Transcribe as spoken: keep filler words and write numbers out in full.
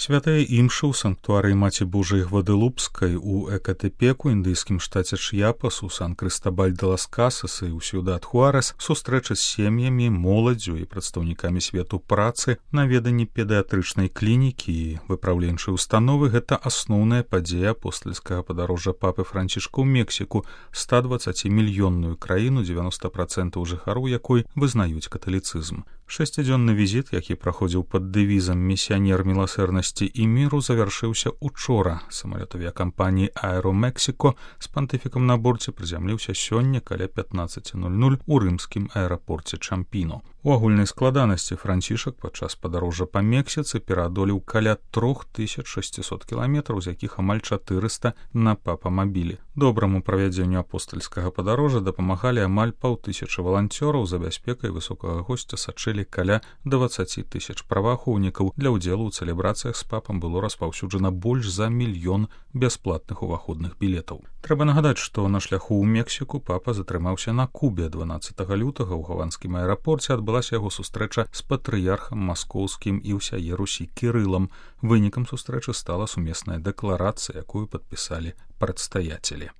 Святая імша ў санктуарыі Маці Божай Гваделупскай у Экатэпеку, індыйскім штаце Чьяпас, у Сан-Крыстабаль-де-лас-Касас і ў Сьюдад-Хуарес, сустрэча з сем'ямі, моладдзю і прадстаўнікамі свету працы, наведанні педыятрычнай клінікі і выпраўленчай установы — гэта асноўная падзея апостальскага падарожжа папы Францішка ў Мексіку, ста дваццацімільённую краіну, дзевяноста працэнтаў жыхароў якой вызнаюць каталіцызм. Шэсцідзённы візіт, які праходзіў пад дэвізам «Місіянер міласэрнасці і міру», завяршыўся учора. Самалёт авіякампаніі «Аэромексіко» з пантыфікам на борце прызямліўся сёння каля пятнаццаць нуль нуль у рымскім аэрапорце Чампіно. У агульнай складанасці Францішак падчас падарожжа па Мексіцы пераадолеў каля трох тысяч шасцісот кіламетраў, з якіх амаль чатырыста на папамабілі. Добраму правядзенню апостальскага падарожжа дапамагалі амаль паўтысячы валанцёраў, за бяспекай высокага госця сачылі каля дваццаці тысяч праваахоўнікаў. Для ўдзелу ў цэлебрацыях з папам было распаўсюджана больш за мільён бясплатных уваходных білетаў. Трэба нагадаць, што на шляху ў Мексіку папа затрымаўся на Кубе. дванаццатага лютага ў гаванскім аэрапорце адбылася яго сустрэча з патрыярхам маскоўскім і ўсяе Русі Кірылам. Вынікам сустрэчы стала сумесная дэкларацыя, якую падпісалі прадстаятелі.